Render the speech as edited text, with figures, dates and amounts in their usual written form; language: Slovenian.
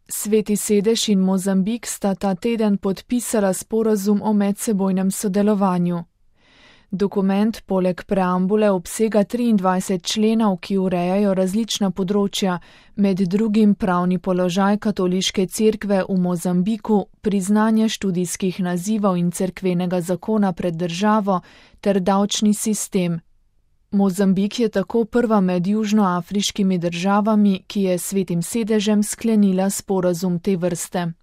Sveti sedež in Mozambik sta ta teden podpisala sporazum o medsebojnem sodelovanju. Dokument poleg preambule obsega 23 členov, ki urejajo različna področja, med drugim pravni položaj katoliške cerkve v Mozambiku, priznanje študijskih nazivov in cerkvenega zakona pred državo ter davčni sistem. Mozambik je tako prva med južnoafriškimi državami, ki je s Svetim sedežem sklenila sporazum te vrste.